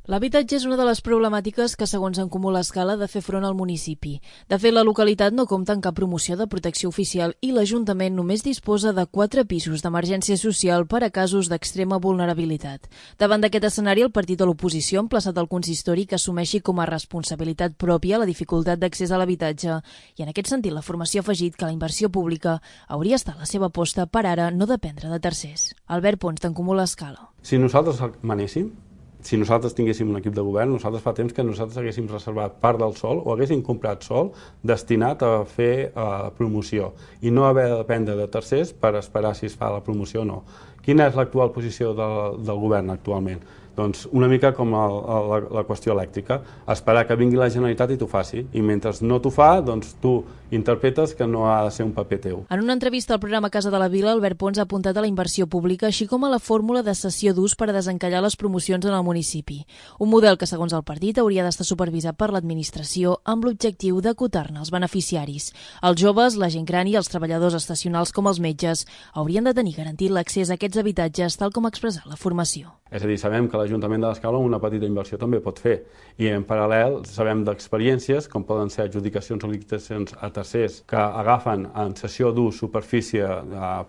L'habitatge és una de les problemàtiques que, segons En Comú l'Escala, ha de fer front al municipi. De fet, la localitat no compta amb cap promoció de protecció oficial i l'Ajuntament només disposa de 4 pisos d'emergència social per a casos d'extrema vulnerabilitat. Davant d'aquest escenari, el partit de l'oposició ha emplaçat al consistori que assumeixi com a responsabilitat pròpia la dificultat d'accés a l'habitatge i, en aquest sentit, la formació ha afegit que la inversió pública hauria estat la seva aposta per ara no dependre de tercers. Albert Pons, d'En Comú l'Escala. Si nosaltres manéssim, si nosaltres tinguéssim un equip de govern, nosaltres fa temps que nosaltres haguéssim reservat part del sòl o haguéssim comprat sòl destinat a fer promoció i no haver de dependre de tercers per esperar si es fa la promoció o no. Quina és l'actual posició del govern actualment? Doncs una mica com la qüestió elèctrica, esperar que vingui la Generalitat i t'ho faci, i mentre no t'ho fa, doncs tu interpretes que no ha de ser un paper teu. En una entrevista al programa Casa de la Vila, Albert Pons ha apuntat a la inversió pública, així com a la fórmula de cessió d'ús per a desencallar les promocions en el municipi. Un model que, segons el partit, hauria d'estar supervisat per l'administració amb l'objectiu d'acotar-ne els beneficiaris. Els joves, la gent gran i els treballadors estacionals com els metges haurien de tenir garantit l'accés a aquests habitatges, tal com ha expressat la formació. És a dir, sabem que l'Ajuntament de l'Escala una petita inversió també pot fer i en paral·lel sabem d'experiències com poden ser adjudicacions o licitacions a tercers que agafen en cessió d'ús superfície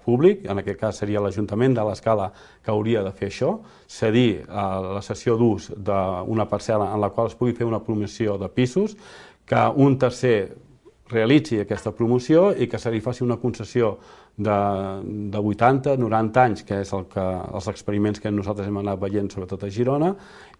públic, en aquest cas seria l'Ajuntament de l'Escala que hauria de fer això, cedir la cessió d'ús d'una parcel·la en la qual es pugui fer una promoció de pisos, que un tercer realitzi aquesta promoció i que se li faci una concessió de 80, 90 anys, que és els experiments que nosaltres hem anat veient, sobretot a Girona,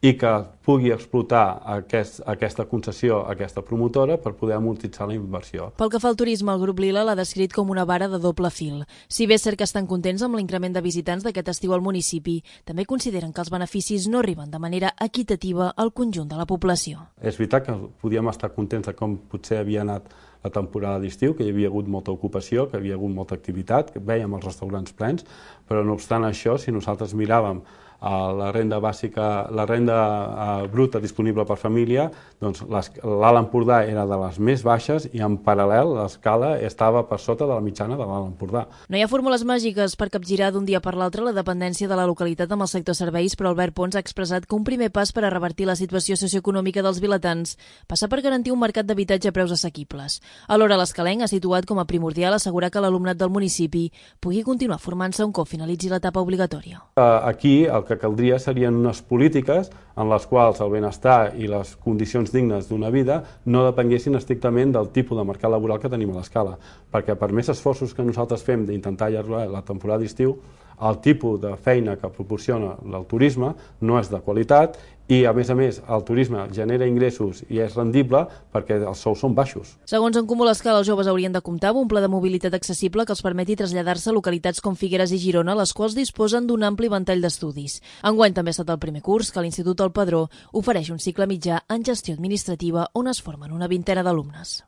i que pugui explotar aquesta concessió, aquesta promotora, per poder amortitzar la inversió. Pel que fa al turisme, el grup Lila l'ha descrit com una vara de doble fil. Si bé és cert que estan contents amb l'increment de visitants d'aquest estiu al municipi, també consideren que els beneficis no arriben de manera equitativa al conjunt de la població. És veritat que podíem estar contents de com potser havia anat la temporada d'estiu, que hi havia hagut molta ocupació, que hi havia hagut molta activitat, que vèiem els restaurants plens, però no obstant això, si nosaltres miràvem la renda bàsica, la renda bruta disponible per família, doncs l'Alt Empordà era de les més baixes i en paral·lel l'Escala estava per sota de la mitjana de l'Alt Empordà. No hi ha fórmules màgiques per capgirar d'un dia per l'altre la dependència de la localitat amb el sector serveis, però Albert Pons ha expressat que un primer pas per a revertir la situació socioeconòmica dels vilatans passa per garantir un mercat d'habitatge a preus assequibles. Alhora, l'Escalenc ha situat com a primordial assegurar que l'alumnat del municipi pugui continuar formant-se un cop finalitzi l'etapa obligatòria. Aquí el que caldria serien unes polítiques en les quals el benestar i les condicions dignes d'una vida no depenguessin estrictament del tipus de mercat laboral que tenim a l'Escala, perquè per més esforços que nosaltres fem d'intentar allargar la temporada d'estiu, el tipus de feina que proporciona el turisme no és de qualitat i, a més, el turisme genera ingressos i és rendible perquè els sous són baixos. Segons En Comú l'Escala, els joves haurien de comptar amb un pla de mobilitat accessible que els permeti traslladar-se a localitats com Figueres i Girona, les quals disposen d'un ampli ventall d'estudis. Enguany també ha estat el primer curs que l'Institut El Padró ofereix un cicle mitjà en gestió administrativa on es formen una vintena d'alumnes.